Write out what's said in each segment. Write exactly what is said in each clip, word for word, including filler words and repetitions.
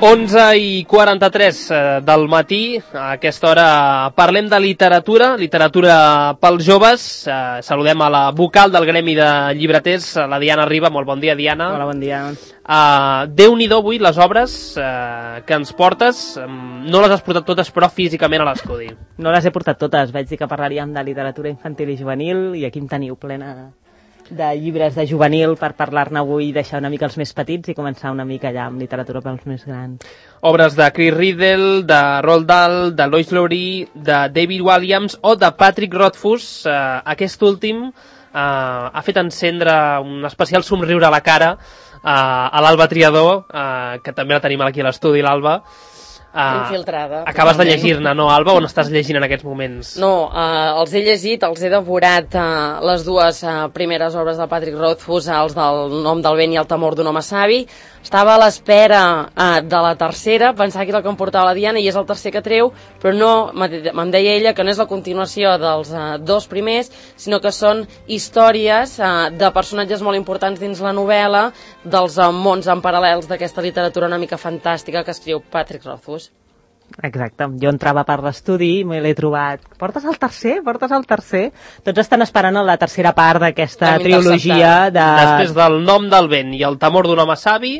onze i quaranta-tres del matí, a aquesta hora parlem de literatura, literatura pels joves. Eh, saludem a la vocal del gremi de llibreters, la Diana Riba. Molt bon dia, Diana. Hola, bon dia. Uh, Déu-n'hi-do avui les obres uh, que ens portes. Um, no les has portat totes, però físicament a l'estudi. No les he portat totes, vaig dir que parlaríem de literatura infantil i juvenil i aquí em teniu plena de llibres de juvenil per parlar-ne avui, deixar una mica els més petits i començar una mica allà amb literatura pels més grans. Obres de Chris Riddle, de Roald Dahl, de Lois Lowry, de David Walliams o de Patrick Rothfuss. Uh, aquest últim uh, ha fet encendre un especial somriure a la cara uh, a l'Alba Triador, uh, que també la tenim aquí a l'estudi, l'Alba. Uh, infiltrada. Acabes de llegir-ne, no, Alba, o n'estàs llegint en aquests moments? No, uh, els he llegit, els he devorat uh, les dues uh, primeres obres del Patrick Rothfuss, els del Nom del vent i El temor d'un home savi. Estava a l'espera uh, de la tercera, pensava que era el que em portava la Diana i és el tercer que treu, però no, me'n deia ella que no és la continuació dels uh, dos primers, sinó que són històries uh, de personatges molt importants dins la novel·la, dels uh, mons en paral·lels d'aquesta literatura una mica fantàstica que escriu Patrick Rothfuss. Exacte, jo entrava per l'estudi i me l'he trobat. Portes el tercer? Portes el tercer? Tots estan esperant la tercera part d'aquesta trilogia de... Després del Nom del vent i El temor d'un home savi...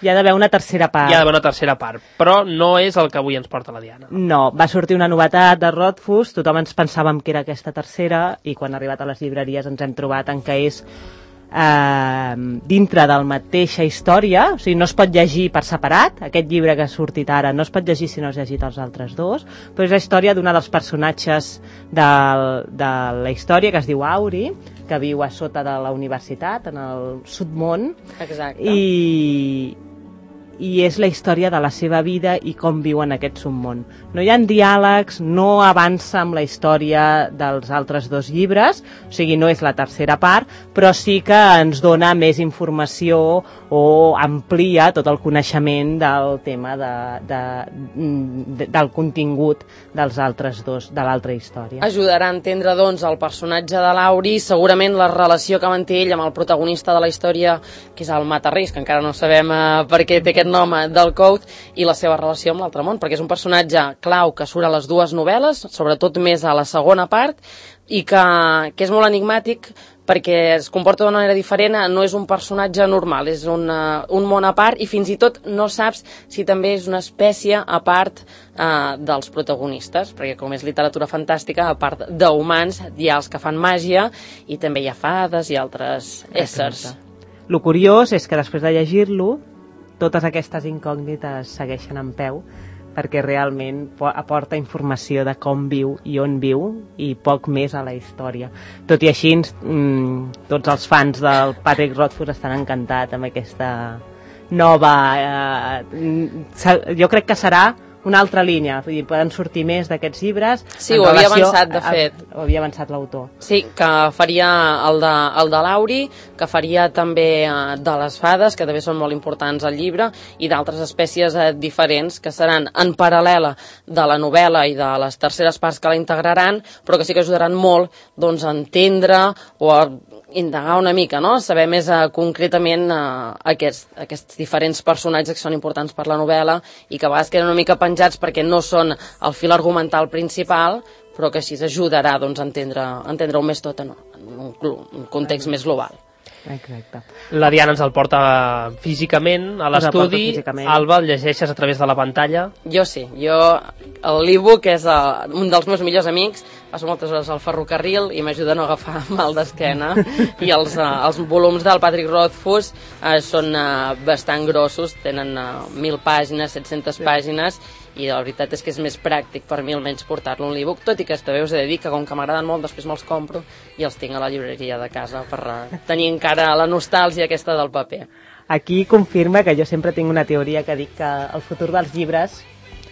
Hi ha d'haver una tercera part. Hi ha d'haver una tercera part, però no és el que avui ens porta la Diana. No, va sortir una novetat de Rothfuss, tothom ens pensàvem que era aquesta tercera i quan ha arribat a les llibreries ens hem trobat en què és eh, dintre de la mateixa història, o sigui, no es pot llegir per separat. Aquest llibre que ha sortit ara no es pot llegir si no has llegit els altres dos, però és la història d'una dels personatges de, de la història, que es diu Auri, que viu a sota de la universitat, en el submón. Exacte. I, i és la història de la seva vida i com viu en aquest submón. No hi ha diàlegs, no avança amb la història dels altres dos llibres, o sigui, no és la tercera part, però sí que ens dona més informació o amplia tot el coneixement del tema de, de, de, del contingut dels altres dos, de l'altra història. Ajudarà a entendre, doncs, el personatge de l'Auri, segurament la relació que manté ell amb el protagonista de la història, que és el Matarrís, que encara no sabem eh, per què té aquest nom del Couth, i la seva relació amb l'altre món, perquè és un personatge clau que surt a les dues novel·les, sobretot més a la segona part, i que, que és molt enigmàtic perquè es comporta d'una manera diferent, no és un personatge normal, és una, un món a part i fins i tot no saps si també és una espècie a part eh, dels protagonistes, perquè com és literatura fantàstica, a part d'humans hi ha els que fan màgia i també hi ha fades i altres éssers. Lo curiós és que després de llegir-lo totes aquestes incògnites segueixen en peu perquè realment aporta informació de com viu i on viu i poc més a la història. Tot i així, mmm, tots els fans del Patrick Rothfuss estan encantats amb aquesta nova... Eh, jo crec que serà una altra línia, vull dir, poden sortir més d'aquests llibres. Sí, ho havia avançat, de fet. Ho havia avançat l'autor. Sí, que faria el de, el de l'Auri, que faria també eh, de les fades, que també són molt importants al llibre, i d'altres espècies eh, diferents, que seran en paral·lela de la novel·la i de les terceres parts que la integraran, però que sí que ajudaran molt doncs, a entendre o a indagar una mica, no? Saber més uh, concretament uh, aquests, aquests diferents personatges que són importants per la novel·la i que a vegades queden una mica penjats perquè no són el fil argumental principal, però que així ajudarà doncs, a entendre, a entendre-ho més tot en un, un context més global. Exacte. La Diana ens el porta físicament a l'estudi. Alba, el llegeixes a través de la pantalla? Jo sí, jo l'e-book és uh, un dels meus millors amics, passo moltes hores al ferrocarril i m'ajuda a no agafar mal d'esquena i els, uh, els volums del Patrick Rothfuss uh, són uh, bastant grossos, tenen uh, mil pàgines, set-centes pàgines, i la veritat és que és més pràctic per mi almenys portar-lo en l'e-book, tot i que també us he de dir que com que m'agraden molt després me'ls compro i els tinc a la llibreria de casa per uh, tenir encara la nostàlgia aquesta del paper. Aquí confirma que jo sempre tinc una teoria que dic que el futur dels llibres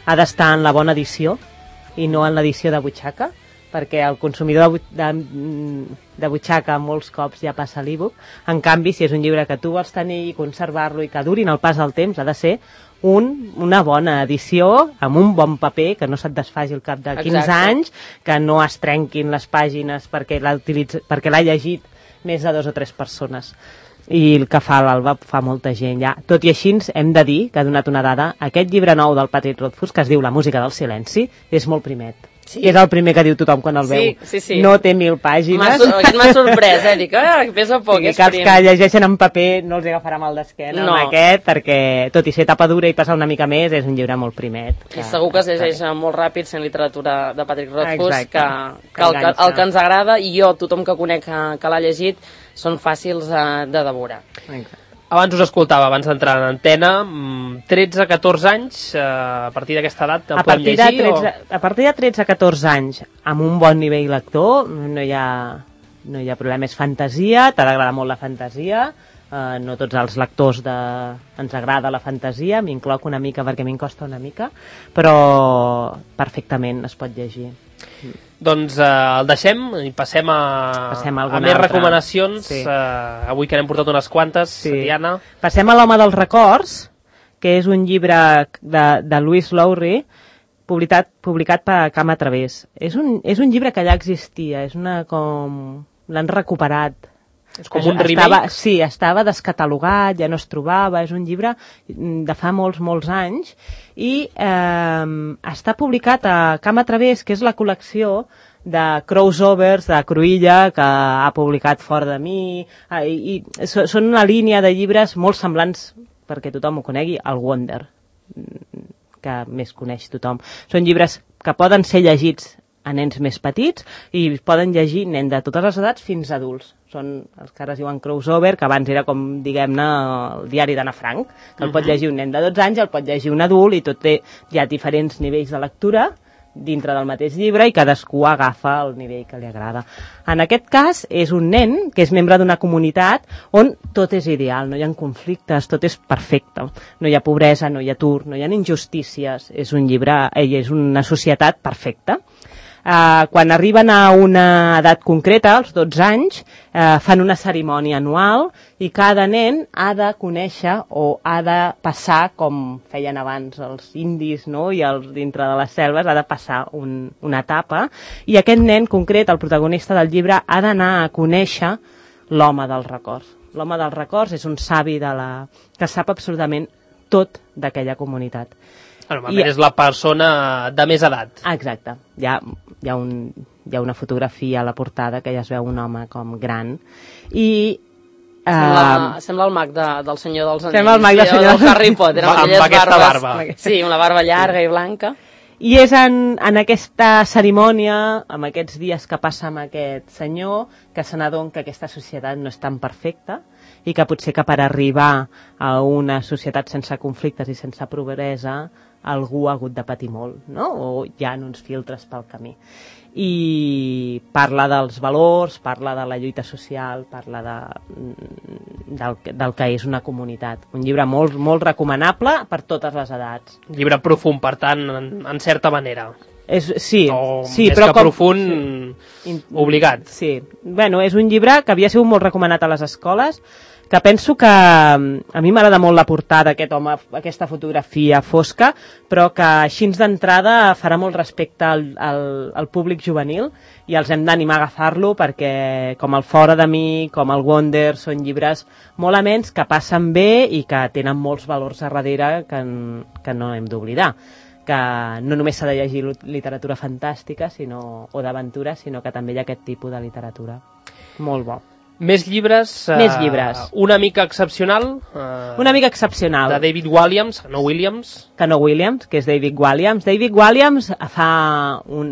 ha d'estar en la bona edició i no en l'edició de butxaca, perquè el consumidor de, de, de butxaca molts cops ja passa l'e-book. En canvi, si és un llibre que tu vols tenir i conservar-lo i que durin el pas del temps, ha de ser un, una bona edició amb un bon paper, que no se't desfaci al cap de quinze Exacte. Anys, que no es trenquin les pàgines perquè l'ha perquè l'ha llegit més de dos o tres persones. i el que fa l'Alba fa molta gent ja. Tot i així hem de dir que ha donat una dada, aquest llibre nou del Patrick Rothfuss que es diu La música del silenci és molt primet. Sí. És el primer que diu tothom quan el sí, veu. Sí, sí. No té mil pàgines. Aquest m'ha sorprès, eh? Dic, ah, pesa poc, sí, és que els prim. que llegeixen en paper no els agafarà mal d'esquena no. amb aquest, perquè tot i ser tapa dura i passar una mica més, és un llibre molt primet. Que... I segur que es llegeix molt ràpid sent literatura de Patrick Rothfuss, que, que, que el, que el que ens agrada, i jo, tothom que conec que, que l'ha llegit, són fàcils uh, de devorar. Exacte. Abans us escoltava, abans d'entrar en antena, tretze a catorze anys, eh, a partir d'aquesta edat el podem llegir? tretze, o... A partir de tretze a catorze anys, amb un bon nivell lector, no hi ha, no hi ha problema, és fantasia, t'ha d'agradar molt la fantasia, eh, no tots els lectors de... ens agrada la fantasia, m'incloc una mica perquè m'hi costa una mica, però perfectament es pot llegir. Doncs eh, el deixem i passem a, passem a, a més altra. recomanacions. Sí. Eh, avui que n'hem portat unes quantes, sí. Diana. Passem a l'Home dels records, que és un llibre de, de Louise Lowry, publicat, publicat per Cama Través. És un, és un llibre que ja existia, és una com... l'han recuperat. És com un remake? Estava, sí, estava descatalogat, ja no es trobava, és un llibre de fa molts, molts anys, i eh, està publicat a Cama Través, que és la col·lecció de crossovers de Cruïlla que ha publicat Fora de mi, eh, i, i són una línia de llibres molt semblants, perquè tothom ho conegui, al Wonder, que més coneix tothom. Són llibres que poden ser llegits a nens més petits i poden llegir nen de totes les edats fins a adults. Són els que ara es diuen crossover, que abans era com, diguem-ne, el diari d'Anna Frank, que el uh-huh. pot llegir un nen de dotze anys, el pot llegir un adult, i tot té ja diferents nivells de lectura dintre del mateix llibre i cadascú agafa el nivell que li agrada. En aquest cas és un nen que és membre d'una comunitat on tot és ideal, no hi ha conflictes, tot és perfecte. No hi ha pobresa, no hi ha atur, no hi ha injustícies. És un llibre, ell és una societat perfecta. Uh, quan arriben a una edat concreta, als dotze anys, uh, fan una cerimònia anual i cada nen ha de conèixer o ha de passar, com feien abans els indis, no? I els dintre de les selves, ha de passar un, una etapa, i aquest nen concret, el protagonista del llibre, ha d'anar a conèixer l'home dels records. L'home dels records és un savi de la... que sap absolutament tot d'aquella comunitat. Normalment I... és la persona de més edat. Exacte. Hi ha, hi, ha un, hi ha una fotografia a la portada que ja es veu un home com gran. I... Sembla, uh, sembla el mag de, del Senyor dels Anells. Sembla el mag del Senyor dels Harry Potter, amb, amb aquesta barbes. barba. Sí, una barba llarga i blanca. I és en, en aquesta cerimònia, amb aquests dies que passa amb aquest senyor, que se n'adona que aquesta societat no és tan perfecta i que potser que per arribar a una societat sense conflictes i sense pobresa algú ha hagut de patir molt, no? O hi ha uns filtres pel camí. I parla dels valors, parla de la lluita social, parla de, del, del que és una comunitat. Un llibre molt, molt recomanable per totes les edats. Un llibre profund, per tant, en, en certa manera. És, sí, o sí, més però que com, profund, sí, obligat. Sí, bueno, és un llibre que havia sigut molt recomanat a les escoles, que penso que a mi m'agrada molt la portada d'aquest home, aquesta fotografia fosca, però que així d'entrada farà molt respecte al, al, al públic juvenil i els hem d'animar a agafar-lo perquè com el Fora de mi, com el Wonder, són llibres molt amens que passen bé i que tenen molts valors a darrere que, que no hem d'oblidar. Que no només s'ha de llegir literatura fantàstica sinó, o d'aventura, sinó que també hi ha aquest tipus de literatura. Molt bo. Més llibres. Més llibres. Uh, una mica excepcional. Uh, una mica excepcional. De David Walliams, no Williams. Que no Williams, que és David Walliams. David Walliams fa un,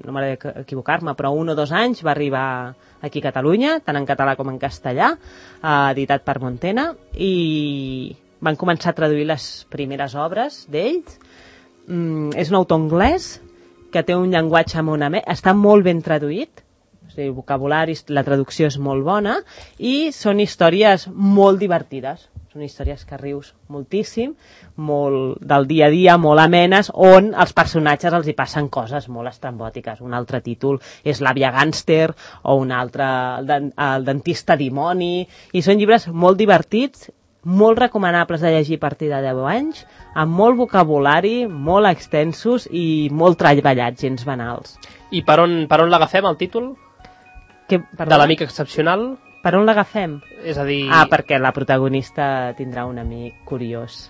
no m'agrada equivocar-me, però un o dos anys va arribar aquí a Catalunya, tant en català com en castellà, uh, editat per Montena, i van començar a traduir les primeres obres d'ells. Mm, és un autor anglès que té un llenguatge molt amè, està molt ben traduït, o sigui, vocabulari, la traducció és molt bona, i són històries molt divertides, són històries que rius moltíssim, molt del dia a dia, molt amenes, on els personatges els hi passen coses molt estrambòtiques. Un altre títol és L'àvia gàngster, o un altre, el, el dentista dimoni, i són llibres molt divertits, molt recomanables de llegir a partir de deu anys, amb molt vocabulari, molt extensos i molt treballats, gens banals. I per on, per on l'agafem, el títol? Que, de l'amic excepcional? Per on l'agafem? És a dir... Ah, perquè la protagonista tindrà un amic curiós.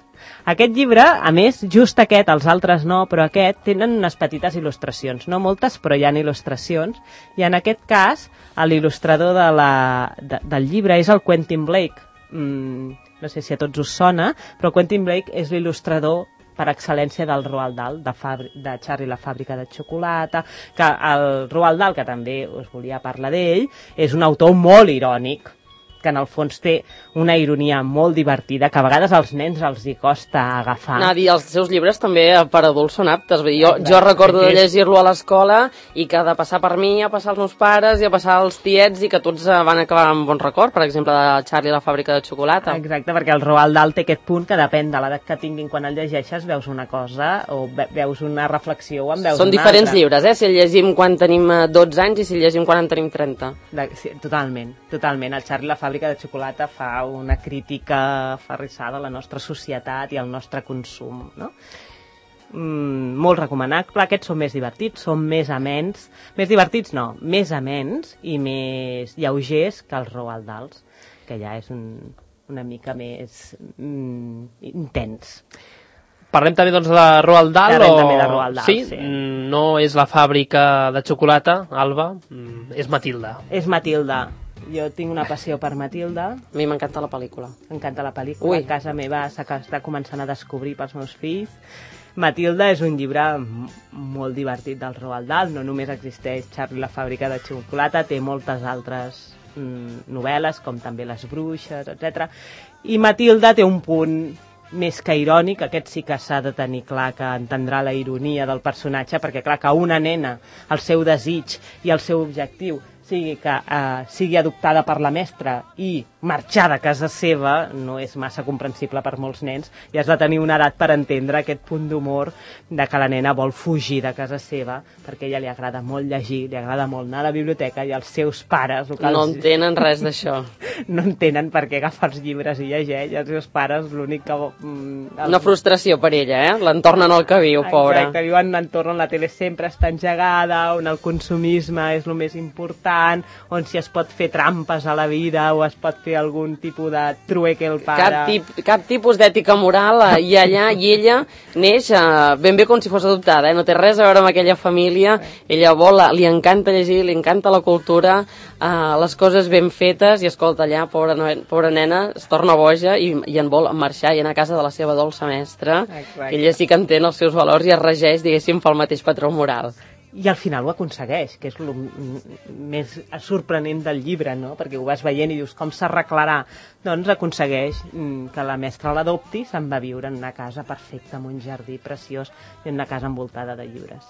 Aquest llibre, a més, just aquest, els altres no, però aquest, tenen unes petites il·lustracions. No moltes, però hi ha il·lustracions. I en aquest cas, l'il·lustrador de la, de, del llibre és el Quentin Blake. Mm, no sé si a tots us sona, però Quentin Blake és l'il·lustrador per excel·lència del Roald Dahl, de, Fabri, de Charlie la fàbrica de xocolata, que el Roald Dahl, que també us volia parlar d'ell, és un autor molt irònic, que en el fons té una ironia molt divertida, que a vegades als nens els hi costa agafar. Anava a dir, els seus llibres també per adults són aptes. Vull dir, jo, jo recordo de llegir-lo a l'escola i que de passar per mi, a passar els meus pares i a passar els tiets i que tots van acabar amb bon record, per exemple, de Charlie la fàbrica de xocolata. Exacte, perquè el Roald Dahl té aquest punt que depèn de l'edat que tinguin quan el llegeixes, veus una cosa o ve veus una reflexió o en veus Són una diferents altra. llibres, eh? Si el llegim quan tenim dotze anys i si el llegim quan en tenim trenta. De, sí, totalment, totalment. El Charlie la fàbrica de xocolata fa una crítica aferrissada a la nostra societat i al nostre consum, no? Mm, molt recomanable. Aquests són més divertits, són més amens. Més divertits no, més amens i més lleugers que els Roald Dahl, que ja és un, una mica més mm, intens. Parlem també doncs, de Roald Dahl? Parlem o... també de Roald Dahl, sí? sí. No és la fàbrica de xocolata, Alba, és Matilda. És Matilda. Jo tinc una passió per Matilda. A mi m'encanta la pel·lícula. M'encanta la pel·lícula. Ui. A casa meva s'està començant a descobrir pels meus fills. Matilda és un llibre molt divertit del Roald Dahl. No només existeix Charlie la fàbrica de xocolata, té moltes altres mm, novel·les, com també Les bruixes, etcètera. I Matilda té un punt més que irònic, aquest sí que s'ha de tenir clar que entendrà la ironia del personatge, perquè clar que una nena, el seu desig i el seu objectiu sigui que eh, sigui adoptada per la mestra i marxar de casa seva no és massa comprensible per molts nens i has de tenir una edat per entendre aquest punt d'humor de que la nena vol fugir de casa seva perquè a ella li agrada molt llegir, li agrada molt anar a la biblioteca i els seus pares... No els... entenen res d'això. No entenen per què agafa els llibres i llegeix i els seus pares l'únic que... Mm, el... Una frustració per ella, eh? L'entornen al que viu, pobra. Exacte, viuen en un entorn on la tele sempre està engegada, on el consumisme és el més important, on si es pot fer trampes a la vida o es pot fer algun tipus de trueque el pare. Cap, tip, cap tipus d'ètica moral eh, i allà i ella neix eh, ben bé com si fos adoptada, eh? No té res a veure amb aquella família, ella vol, li encanta llegir, li encanta la cultura, eh, les coses ben fetes i escolta allà, pobra, pobra nena, es torna boja i, i en vol marxar i anar a casa de la seva dolça mestra. Exacte. Ella sí que entén els seus valors i es regeix, diguéssim, pel mateix patró moral. I al final ho aconsegueix, que és el més sorprenent del llibre, no? Perquè ho vas veient i dius com s'arreglarà. Doncs aconsegueix que la mestra l'adopti, se'n va a viure en una casa perfecta, amb un jardí preciós i en una casa envoltada de llibres.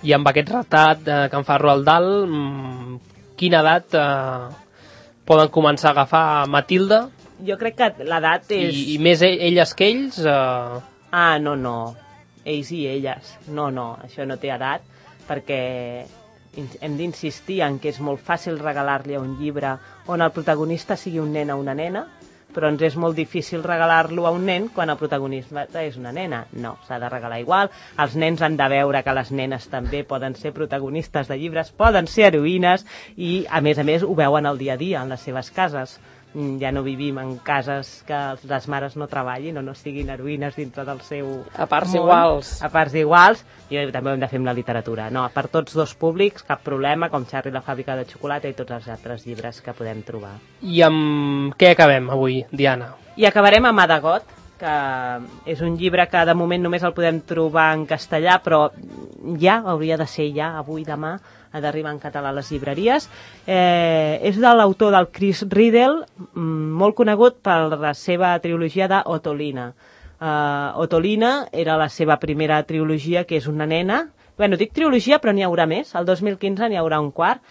I amb aquest retrat eh, que en fa Roald Dahl, mmm, quina edat eh, poden començar a agafar Matilda? Jo crec que l'edat és... I, I més elles que ells? Eh... Ah, no, no. Ells i elles. No, no, això no té edat, perquè hem d'insistir en que és molt fàcil regalar-li un llibre on el protagonista sigui un nen o una nena, però ens és molt difícil regalar-lo a un nen quan el protagonista és una nena. No, s'ha de regalar igual. Els nens han de veure que les nenes també poden ser protagonistes de llibres, poden ser heroïnes i, a més a més, ho veuen al dia a dia en les seves cases. Ja no vivim en cases que les mares no treballin o no siguin heroïnes dintre del seu A parts món. iguals. A parts iguals. I també ho hem de fer amb la literatura. No, per tots dos públics, cap problema, com Charlie la fàbrica de xocolata i tots els altres llibres que podem trobar. I amb què acabem avui, Diana? I acabarem amb Adagot, que és un llibre que de moment només el podem trobar en castellà, però ja, hauria de ser ja, avui, demà, ha d'arribar en català a les llibreries. Eh, és de l'autor del Chris Riddle, molt conegut per la seva trilogia d'Otolina. Uh, Otolina era la seva primera trilogia, que és una nena. Bueno, dic trilogia, però n'hi haurà més. El dos mil quinze n'hi haurà un quart.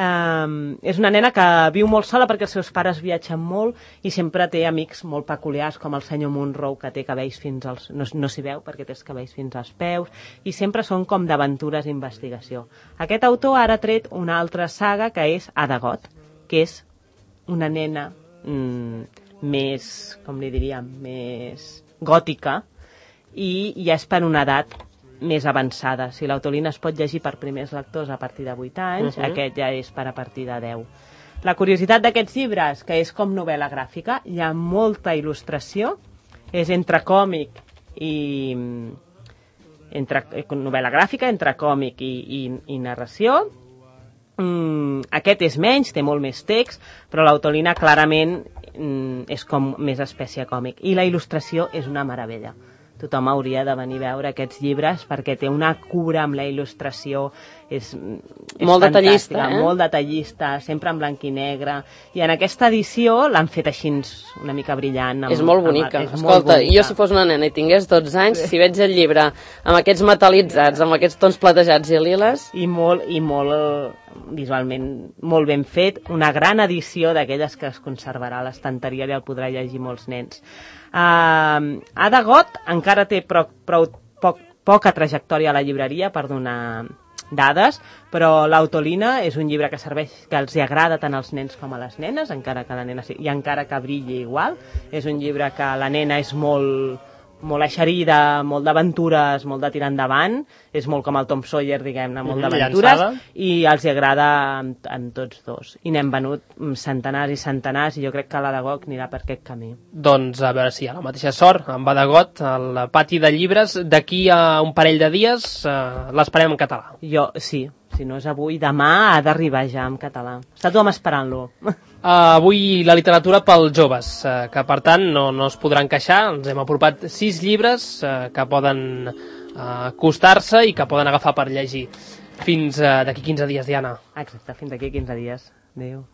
Um, és una nena que viu molt sola perquè els seus pares viatgen molt i sempre té amics molt peculiars com el senyor Monroe, que té cabells fins als... no, no s'hi veu perquè té els cabells fins als peus i sempre són com d'aventures i investigació. Aquest autor ara ha tret una altra saga que és Adagot, que és una nena mm, més, com li diríem, més gòtica i ja és per una edat més avançada. Si l'Autolina es pot llegir per primers lectors a partir de vuit anys, uh-huh. Aquest ja és per a partir de deu. La curiositat d'aquests llibres, que és com novel·la gràfica, hi ha molta il·lustració, és entre còmic i... entre novel·la gràfica, entre còmic i, i, i narració. Mm, aquest és menys, té molt més text, però l'autolina clarament mm, és com més espècie còmic. I la il·lustració és una meravella. Tothom hauria de venir a veure aquests llibres perquè té una cura amb la il·lustració, és, és molt detallista, eh? Molt detallista, sempre en blanc i negre, i en aquesta edició l'han fet així una mica brillant. Amb, és molt bonica, amb, és escolta, molt bonica. Jo si fos una nena i tingués dotze anys, si veig el llibre amb aquests metalitzats, amb aquests tons platejats i liles... I molt, i molt visualment molt ben fet, una gran edició d'aquelles que es conservarà a l'estanteria i el podrà llegir molts nens. Uh, Ada Got encara té prou, prou poc, poca trajectòria a la llibreria per donar dades, però l'Autolina és un llibre que serveix, que els agrada tant als nens com a les nenes, encara que la nena i encara que brilli igual. És un llibre que la nena és molt molt eixerida, molt d'aventures, molt de tirar endavant, és molt com el Tom Sawyer, diguem-ne, molt d'aventures, i els agrada en, en tots dos. I n'hem venut centenars i centenars, i jo crec que l'Adagot anirà per aquest camí. Doncs a veure si hi ha la mateixa sort amb Adagot, al pati de llibres, d'aquí a un parell de dies eh, l'esperem en català. Jo, sí, si no és avui, demà ha d'arribar ja en català. Està tothom esperant-lo. Uh, avui la literatura pels joves, uh, que per tant no, no es podran queixar. Ens hem apropat sis llibres uh, que poden uh, costar-se i que poden agafar per llegir. Fins uh, d'aquí quinze dies, Diana. Exacte, fins d'aquí quinze dies. Adéu.